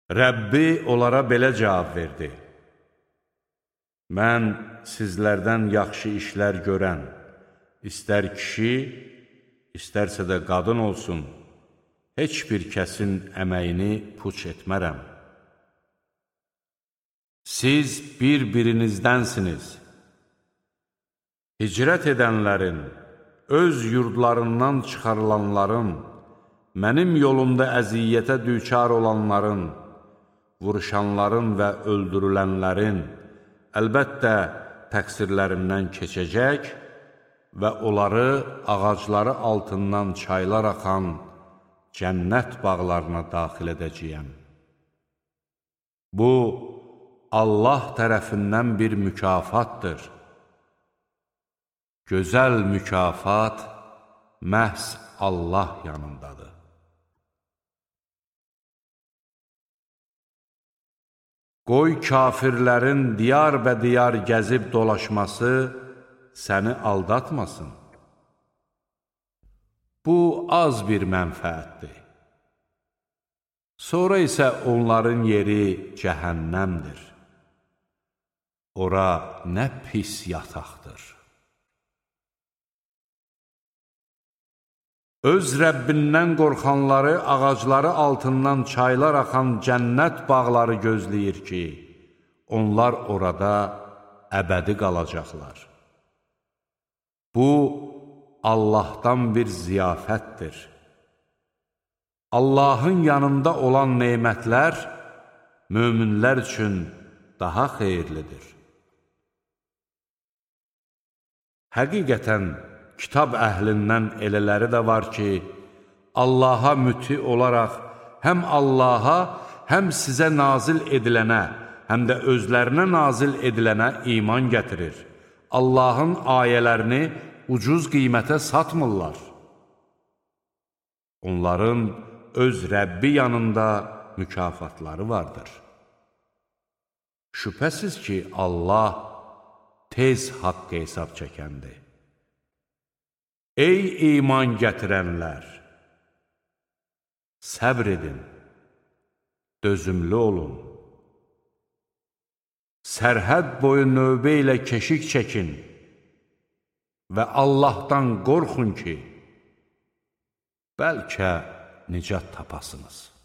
Rəbbi onlara belə cavab verdi: Mən sizlərdən yaxşı işlər görən, istər kişi, istərsə də qadın olsun, heç bir kəsin əməyini puç etmərəm. Siz bir-birinizdənsiniz. Hicrət edənlərin, öz yurdlarından çıxarılanların, mənim yolumda əziyyətə düçar olanların, vuruşanların və öldürülənlərin, əlbəttə təqsirlərindən keçəcək və onları ağacları altından çaylar axan cənnət bağlarına daxil edəcəyəm. Bu, Allah tərəfindən bir mükafatdır. Gözəl mükafat məhz Allah yanındadır. Qoy kafirlərin diyar gəzib dolaşması səni aldatmasın. Bu, az bir mənfəətdir. Sonra isə onların yeri cəhənnəmdir. Ora nə pis yataqdır. Öz Rəbbindən qorxanları ağacları altından çaylar axan cənnət bağları gözləyir ki, onlar orada əbədi qalacaqlar. Bu, Allahdan bir ziyafətdir. Allahın yanında olan nemətlər möminlər üçün daha xeyirlidir. Həqiqətən, kitab əhlindən elələri də var ki, Allaha müti olaraq həm Allaha, həm sizə nazil edilənə, həm də özlərinə nazil edilənə iman gətirir. Allahın ayələrini ucuz qiymətə satmırlar. Onların öz Rəbbi yanında mükafatları vardır. Şübhəsiz ki, Allah tez haqq hesab çəkəndir. Ey iman gətirənlər! Səbr edin, dözümlü olun. Sərhəd boyu növbə ilə keşik çəkin və Allahdan qorxun ki, bəlkə nicat tapasınız.